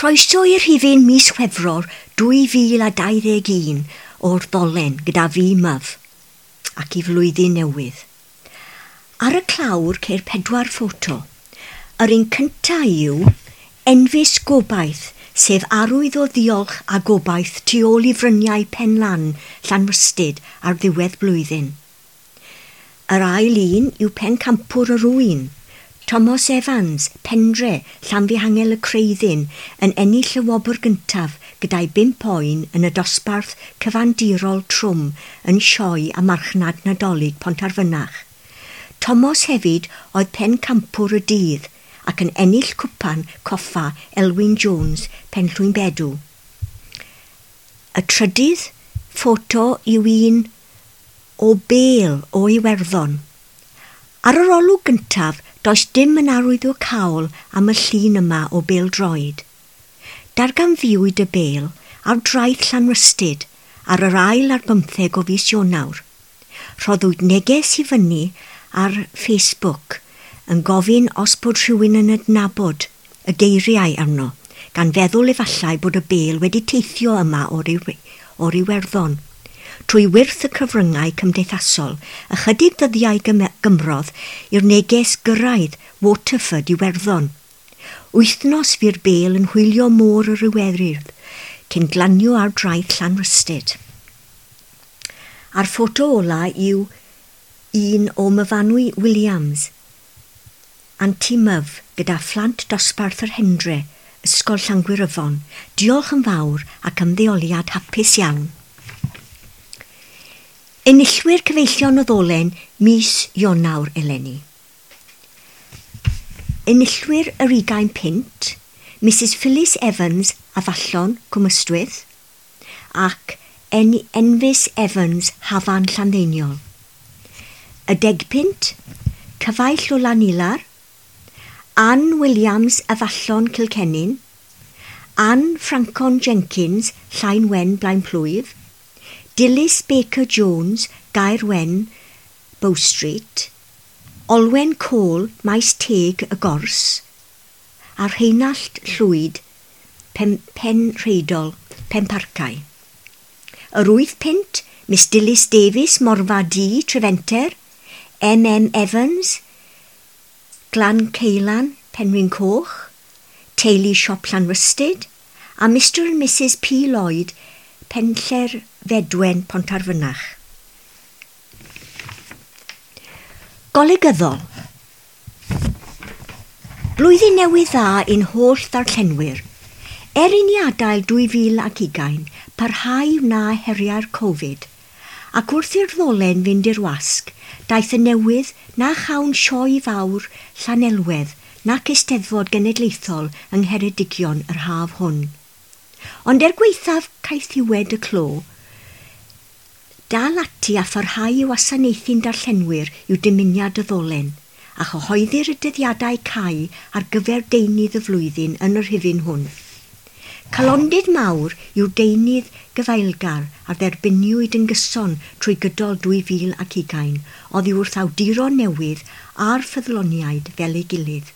Croeso i'r rhifyn mis Chwefror 2021 o'r Ddolen gyda fi Myf ac i flwyddyn newydd. Ar y clawr ceir 4 ffoto. Yr un cyntaf yw Enfys Gobaith, sef arwydd o ddiolch a gobaith tu ôl i fryniau Penlan, Llanrhystud ar ddiwedd blwyddyn. Yr ail un yw Pencampwr yr Ŵyn, Thomas Evans, Pendre, Llanfihangel y Creuddyn, yn ennill y wobr gyntaf gyda'i 5 oen yn y dosbarth cyfandirol trwm yn sioe a marchnad Nadolig Pontarfynach. Thomas hefyd oedd pencampwr y dydd ac yn ennill cwpan coffa Elwyn Jones, Penllwynbedw. Y trydydd ffoto yw un o bêl o Iwerddon. Ar yr olwg gyntaf, does dim yn arwyddocaol am y llun yma o bêl-droed. Darganfuwyd y bêl ar draeth Llanrhystud ar yr 24 o fis Ionawr. Rhoddwyd neges i fyny ar Facebook yn gofyn os bod rhywun yn adnabod y geiriau arno, gan feddwl efallai bod y bêl wedi teithio yma o'r Iwerddon. Trwy wyrth y cyfryngau cymdeithasol, ychydig ddyddiau gymrodd i'r neges gyrraedd Waterford Iwerddon. Wythnos fu'r bêl yn hwylio môr yr Iwerydd, cyn glanio ar draeth Llanrhystud. A'r ffoto ola yw un o Myfanwy Williams, Anti Myf, gyda phlant dosbarth yr Hendre, Ysgol Llangwyryfon. Diolch yn fawr ac ymddeoliad hapus iawn. Enillwyr Cyfeillion y Ddolen mis Ionawr eleni. Enillwyr yr 20 punt, Mrs Phyllis Evans Afallon, Cwm Ystwyth, ac Enfys Evans, Hafan Llanddeiniol. Y 10 punt, Cyfaill o Lanilar, Anne Williams Afallon Cilcennin, Anne Francon Jenkins, Llain Wen Blaenplwyf, Dilys Baker Jones, Gaer Wen, Bow Street, Olwen Cole, Maes Teg y Gors, a Rheinallt Llwyd, Penrheidol, Penparcau. Yr 8 punt, Miss Dilys Davies, Morfa D, Trefenter, M M Evans, Glan Ceilan, Penrhyn Coch, Teulu Siop Llanrhystud, a Mr and Mrs P Lloyd, Penlle'r Fedwen, Pontarfynach. Golygyddol. Blwyddyn newydd dda i'n holl ddarllenwyr. Er i ni adael 2020, parhau wna heriau'r Covid, ac wrth i'r ddolen fynd i'r wasg, daeth y newydd na chawn sioe fawr Llanelwedd nac Eisteddfod Genedlaethol yng Ngheredigion yr haf hwn. Ond er gwaethaf caethiwed y clo, dal ati a pharhau i wasanaethu'n darllenwyr yw dymuniad y ddolen, a chyhoeddir y dyddiadau cau ar gyfer deunydd y flwyddyn yn yr rhifyn hwn. Calondid mawr yw'r deunydd gyfeilgar a dderbyniwyd yn gyson trwy gydol 2020 oddi wrth awduron newydd a'r ffyddloniaid fel ei gilydd.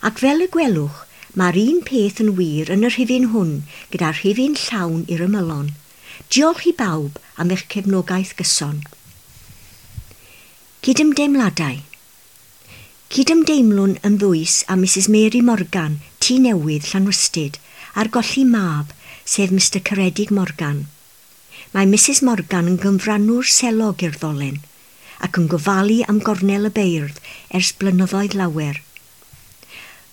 Ac fel y gwelwch, mae'r un peth yn wir yn y rhifyn hwn gyda'r rhifyn llawn i'r ymylon. Diolch i bawb am eich cefnogaeth gyson. Cydymdeimladau. Cydymdeimlwn yn ddwys â Mrs Mary Morgan, Tŷ Newydd, Llanrhystud, ar golli mab, sef Mr Ceredig Morgan. Mae Mrs Morgan yn gyfrannwr selog i'r ddolen, ac yn gofalu am gornel y beirdd ers blynyddoedd lawer.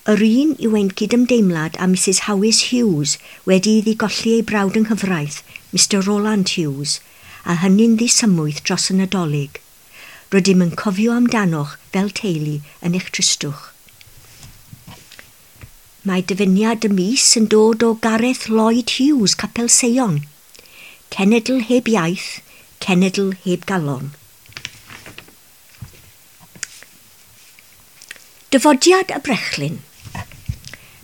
Yr un yw ein cydymdeimlad â Mrs Howys Hughes wedi iddi golli ei brawd yng nghyfraith, Mr Roland Hughes, a hynny'n ddisymwyth dros y Nadolig. Rydym yn cofio amdanoch fel teulu yn eich tristwch. Mae dyfyniad y mis yn dod o Gareth Lloyd Hughes, Capel Seion. Cenedl heb iaith, cenedl heb galon. Dyfodiad y brechlyn.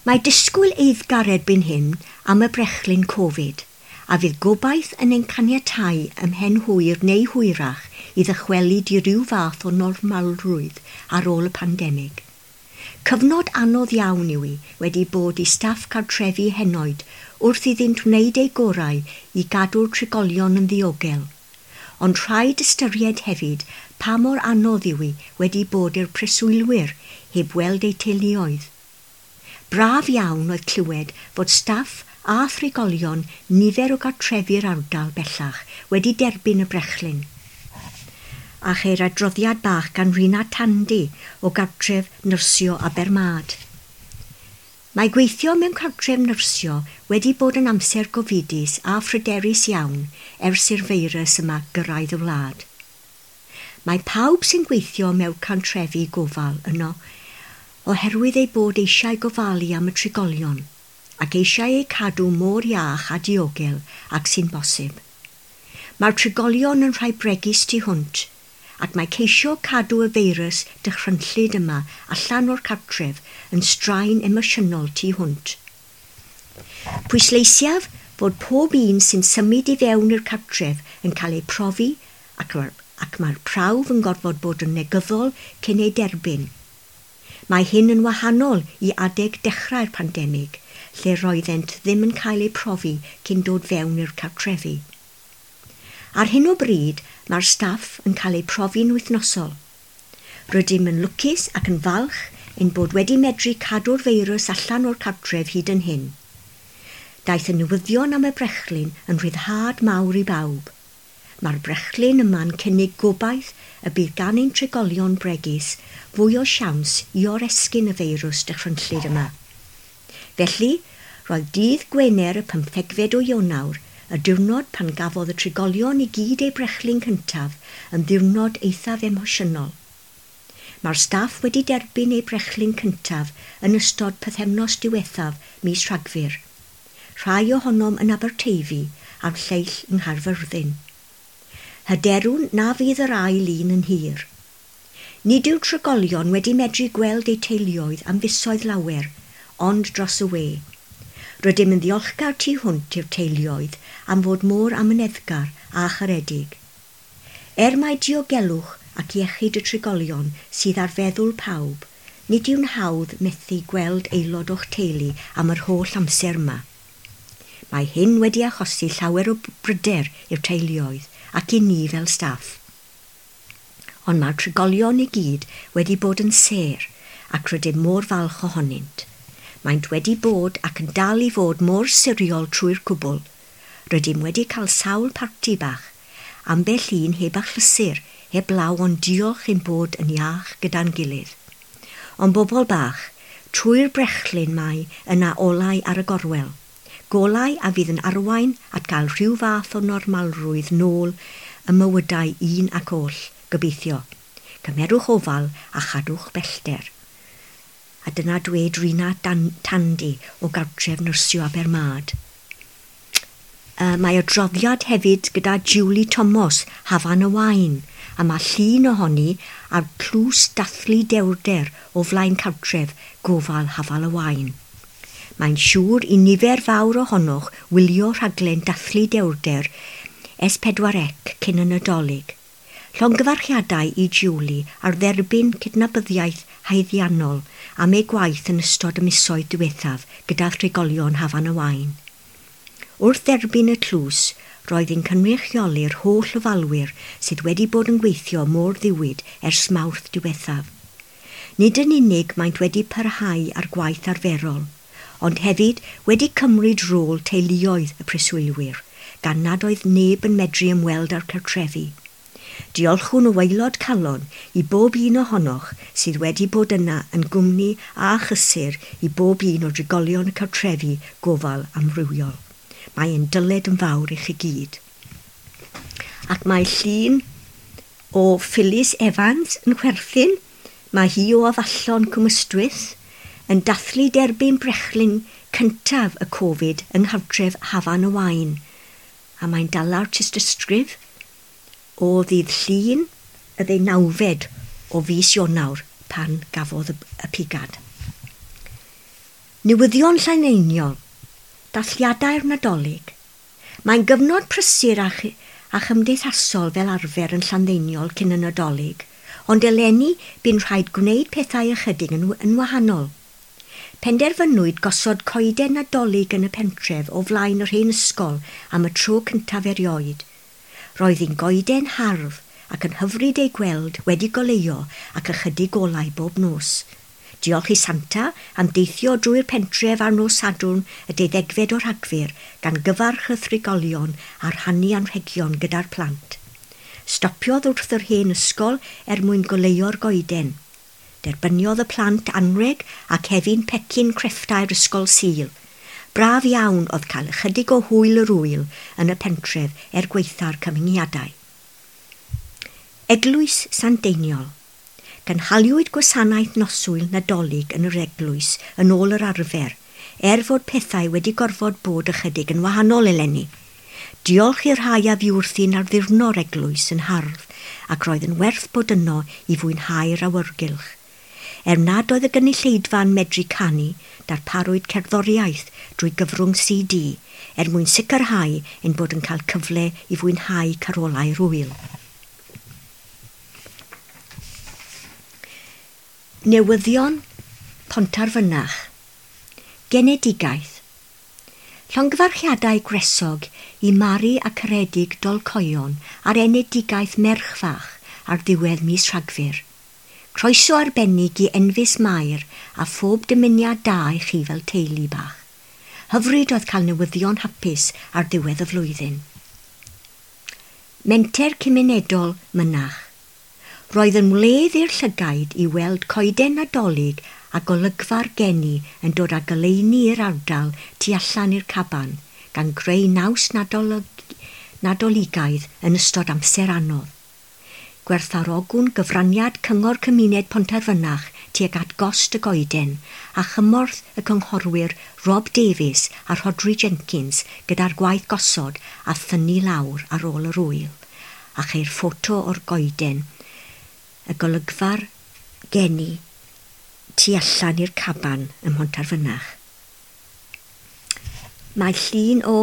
Mae disgwyl eiddgar erbyn hyn am y brechlyn Covid, a fydd gobaith yn ein caniatáu ymhen hwyr neu hwyrach i ddychwelyd i ryw fath o normalrwydd ar ôl y pandemig. Cyfnod anodd iawn yw hi wedi bod i staff cartrefi henoed wrth iddynt wneud eu gorau i gadw'r trigolion yn ddiogel. Ond rhaid ystyried hefyd pa mor anodd yw hi wedi bod i'r preswylwyr heb weld eu teuluoedd. Braf iawn oedd clywed fod staff a thrigolion nifer o gartrefi'r ardal bellach wedi derbyn y brechlyn. A cheir adroddiad bach gan Rina Tandy o gartref nyrsio Abermad. Mae gweithio mewn cartref nyrsio wedi bod yn amser gofidus a phryderus iawn ers i'r feirws yma gyrraedd y wlad. Mae pawb sy'n gweithio mewn cartrefi gofal yno oherwydd eu bod eisiau gofalu am y trigolion ac eisiau eu cadw mor iach a diogel ac sy'n bosib. Mae'r trigolion yn rhai bregus tu hwnt ac mae ceisio cadw y feirws dychrynllyd yma allan o'r cartref yn straen emosiynol tu hwnt. Pwysleisiaf fod pob un sy'n symud i fewn i'r cartref yn cael eu profi ac mae'r prawf yn gorfod bod yn negyddol cyn ei derbyn. Mae hyn yn wahanol i adeg dechrau'r pandemig, lle roeddent ddim yn cael eu profi cyn dod fewn i'r cartrefi. Ar hyn o bryd, mae'r staff yn cael eu profi'n wythnosol. Rydym yn lwcus ac yn falch ein bod wedi medru cadw'r feirws allan o'r cartref hyd yn hyn. Daeth y newyddion am y brechlyn yn rhyddhad mawr i bawb. Mae'r brechlyn yma'n cynnig gobaith y bydd gan ein trigolion bregus fwy o siawns i oresgyn y feirws dychrynllyd yma. Felly, roedd dydd Gwener y 15fed o Ionawr, y diwrnod pan gafodd y trigolion i gyd eu brechlyn cyntaf, yn ddiwrnod eithaf emosiynol. Mae'r staff wedi derbyn eu brechlyn cyntaf yn ystod pythefnos diwethaf mis Rhagfyr. Rhai ohonom yn Aberteifi a'r lleill yng Nghaerfyrddin. Hyderwn na fydd yr ail un yn hir. Nid yw trigolion wedi medru gweld eu teuluoedd am fisoedd lawer, ond dros y we. Rydym yn ddiolchgar tu hwnt i'r teuluoedd am fod mor amyneddgar a charedig. Er mai diogelwch ac iechyd y trigolion sydd ar feddwl pawb, nid yw'n hawdd methu gweld aelod o'ch teulu am yr holl amser yma. Mae hyn wedi achosi llawer o bryder i'r teuluoedd ac i ni fel staff. Ond mae'r trigolion i gyd wedi bod yn sêr ac rydym mor falch ohonynt. Maent wedi bod ac yn dal i fod mor siriol trwy'r cwbl. Rydym wedi cael sawl parti bach, ambell un heb achlysur, heb law ond diolch ein bod yn iach gyda'n gilydd. Ond bobl bach, trwy'r brechlyn mae yna olau ar y gorwel. Golau a fydd yn arwain at gael rhyw fath o normalrwydd nôl y mywydau un ac oll, gobeithio. Cymerwch ofal a chadwch bellter. A dyna dweud Rina Tandy o gartref nyrsio Abermad. Mae adroddiad hefyd gyda Julie Thomas, Hafan y Wain, a mae llun ohoni ar tlws dathlu dewrder o flaen cartref gofal Hafal y Wain. Mae'n siŵr i nifer fawr ohonoch wylio rhaglen dathlu dewrder S4C cyn y Nadolig. Llongyfarchiadau i Julie ar dderbyn cydnabyddiaeth haeddiannol am ei gwaith yn ystod y misoedd diwethaf gyda thrigolion Hafan y Wain. Wrth dderbyn y tlws, roedd hi'n cynrychioli'r holl ofalwyr sydd wedi bod yn gweithio mor ddiwyd ers Mawrth diwethaf. Nid yn unig maent wedi parhau ar gwaith arferol, ond hefyd wedi cymryd rôl teuluoedd y preswylwyr, gan nad oedd neb yn medru ymweld â'r cartrefi. Diolchwn o waelod calon i bob un ohonoch sydd wedi bod yna yn gwmni a chysur i bob un o drigolion y cartrefi gofal amrywiol. Mae ein dyled yn fawr i chi gyd. Ac mae llun o Phyllis Evans yn chwerthin, mae hi o Afallon Cwm Ystwyth, yn dathlu derbyn brechlyn cyntaf y Covid yng nghartref Hafan y Wain. A mae'n dala'r tystysgrif o ddydd Llun y 19fed o fis Ionawr pan gafodd y pigad. Newyddion Llandeiniol, dathliadau'r Nadolig. Mae'n gyfnod prysur a chymdeithasol fel arfer yn Llanddeiniol cyn y Nadolig, Ond eleni bu'n rhaid gwneud pethau ychydig yn wahanol. Penderfynwyd gosod coeden Nadolig yn y pentref o flaen yr hen ysgol am y tro cyntaf erioed. Roedd hi'n goeden hardd ac yn hyfryd ei gweld wedi goleuo ac ychydig olau bob nos. Diolch i Santa am deithio drwy'r pentref ar nos Sadwrn y 12 o Rhagfyr gan gyfarch y thrigolion a rhannu anrhegion gyda'r plant. Stopiodd wrth yr hen ysgol er mwyn goleuo'r goeden. Derbyniodd y plant anreg ac hefyd pecyn crefftau'r ysgol Sul. Braf iawn oedd cael ychydig o hwyl yr ŵyl yn y pentref er gwaetha'r cyfyngiadau. Eglwys Sant Deiniol. Cynhaliwyd gwasanaeth noswyl Nadolig yn yr eglwys yn ôl yr arfer, er fod pethau wedi gorfod bod ychydig yn wahanol eleni. Diolch i'r rhai a fu wrthi'n arddurno'r eglwys yn hardd, ac roedd yn werth bod yno i fwynhau'r awyrgylch. Er nad oedd y gynulleidfa'n medru canu, darparwyd cerddoriaeth drwy gyfrwng CD er mwyn sicrhau ein bod yn cael cyfle i fwynhau carolau'r ŵyl. Newyddion Pontarfynach. Genedigaeth. Llongyfarchiadau gwresog i Mari a Ceredig Dolcoion ar enedigaeth merch fach ar ddiwedd mis Rhagfyr. Croeso arbennig i Enfys Mair a phob dymuniad da i chi fel teulu bach. Hyfryd oedd cael newyddion hapus ar ddiwedd y flwyddyn. Menter Cymunedol Mynach. Roedd yn wledd i'r llygaid i weld coeden Nadolig a golygfa'r geni yn dod â goleuni i'r ardal tu allan i'r caban, gan greu naws Nadoligaidd yn ystod amser anodd. Gwerthfawrogwn gyfraniad Cyngor Cymuned Pontarfynach tuag at gost y goeden a chymorth y cynghorwyr Rob Davies a Rhodri Jenkins gyda'r gwaith gosod a thynnu lawr ar ôl yr ŵyl, a cheir ffoto o'r goeden, y golygfa'r geni tu allan i'r caban ym Mhontarfynach. Mae llun o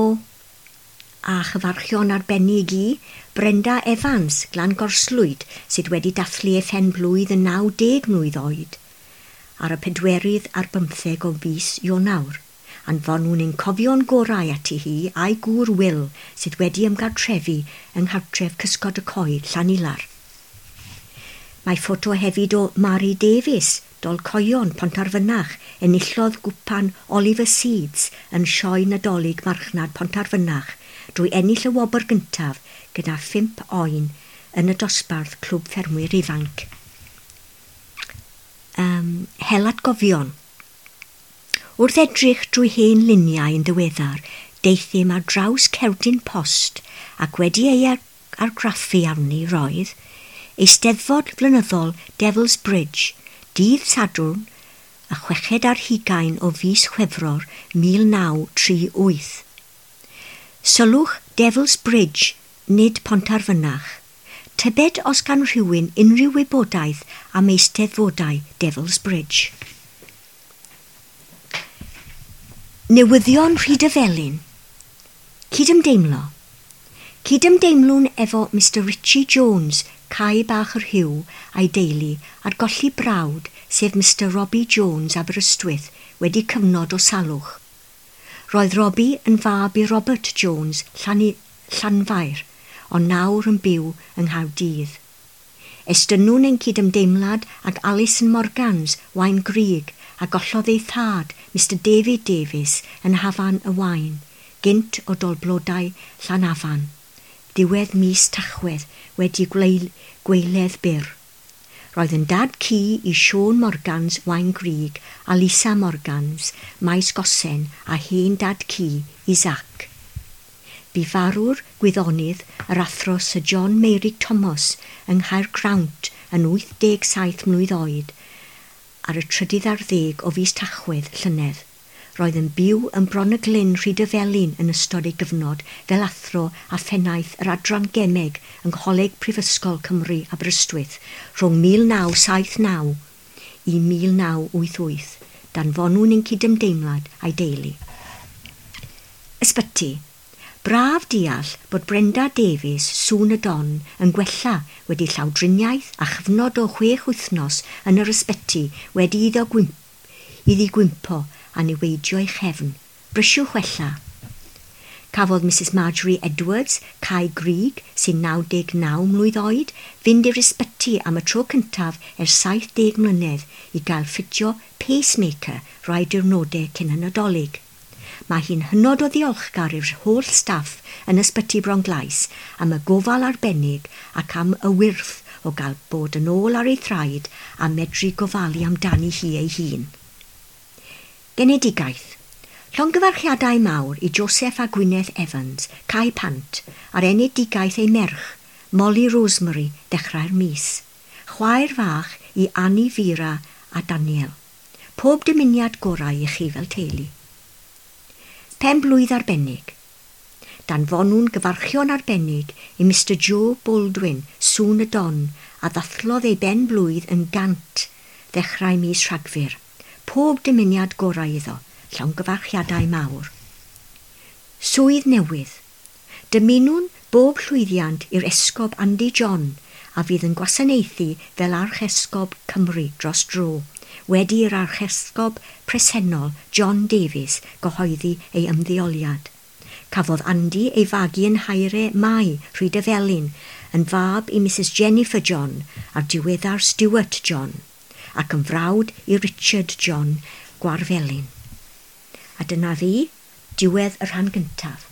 a chyfarchion arbennig i Brenda Evans, Glan Gorslwyd, sydd wedi dathlu ei phen-blwydd yn 90 mlwydd oed, ar y 24 o fis Ionawr. Anfonwn ein cofion gorau ati hi a'i gŵr Will, sydd wedi ymgartrefu yng nghartref Cysgod y Coed, Llanilar. Mae ffoto hefyd o Mary Davies, Dolcoion, Pontarfynach, enillodd gwpan Oliver Seeds yn sioe Nadolig Marchnad Pontarfynach drwy ennill y wobr gyntaf gyda 5 oen yn y dosbarth Clwb Ffermwyr Ifanc. Hel atgofion. Wrth edrych drwy hen luniau yn ddiweddar, deuthum ar draws cerdyn post ac wedi ei argraffu arni roedd Eisteddfod Flynyddol Devil's Bridge, dydd Sadwrn, y 26 o fis Chwefror 1938. Sylwch Devil's Bridge, nid Pontarfynach. Tybed os gan rhywun unrhyw wybodaeth am eisteddfodau Devil's Bridge. Newyddion Rhydyfelin. Cydymdeimlo. Cydymdeimlwn efo Mr Richie Jones, Cae Bach yr Hyw a'i deulu ar golli brawd, sef Mr Robbie Jones Aberystwyth, wedi cyfnod o salwch. Roedd Robbie yn fab i Robert Jones Llanfair, ond nawr yn byw yng Nghaerdydd. Estynnwn ein cydymdeimlad ag Alison Morgans, Waun Grug, a gollodd ei thad, Mr David Davies, yn Hafan y Waun, gynt o Dolblodau Llanafan. Diwedd mis Tachwedd wedi gweiledd byr. Roedd yn dad ci i Siôn Morgans Waun Grug a Lisa Morgans, Maes Gosen a hen dad ci i Zac. Bu farw'r gwyddonydd yr athro Sir John Meurig Thomas yng Nghaergrawnt yn 87 mlwydd oed ar y 13 o fis Tachwedd llynedd. Roedd yn byw yn Bron y Glyn Rhydyfelin yn ystod ei gyfnod fel athro a phennaeth yr Adran Gemeg yng Ngholeg Prifysgol Cymru Aberystwyth rhwng 1979 i 1988, danfonwn ein cydymdeimlad a'i deulu. Ysbyty. Braf deall bod Brenda Davies, Sŵn y Don, yn gwella wedi llawdriniaeth a chyfnod o 6 wythnos yn yr ysbyty wedi iddo iddi gwympo a niweidio ei chefn. Brysiwch wella. Cafodd Mrs Marjorie Edwards, Cae Grug, sy'n 99 mlwydd oed, fynd i'r ysbyty am y tro cyntaf ers 70 mlynedd i gael ffitio pacemaker rai diwrnodau cyn y Nadolig. Mae hi'n hynod o ddiolchgar i'r holl staff yn ysbyty Bronglais am y gofal arbennig ac am y wyrth o gael bod yn ôl ar ei thraed a medru gofalu amdani hi ei hun. Genedigaeth. Llongyfarchiadau mawr i Joseph a Gwyneth Evans, Cae Pant, ar enedigaeth ei merch, Molly Rosemary, dechrau'r mis. Chwaer fach i Annie Vera a Daniel. Pob dymuniad gorau i chi fel teulu. Pen blwydd arbennig. Danfonwn gyfarchion arbennig i Mr Joe Baldwin, Sŵn y Don, a ddathlodd ei ben blwydd yn 100 ddechrau mis Rhagfyr. Pob dymuniad gorau iddo, llongyfarchiadau mawr. Swydd newydd. Dymunwn bob llwyddiant i'r esgob Andy John a fydd yn gwasanaethu fel Archesgob Cymru dros dro, wedi i'r archesgob presennol John Davies gyhoeddi ei ymddeoliad. Cafodd Andy ei fagu yn Haere Mai, Rhydyfelin, yn fab i Mrs Jennifer John a'r diweddar Stuart John, ac yn frawd i Richard John Gwarfelin. A dyna fi, diwedd y rhan gyntaf.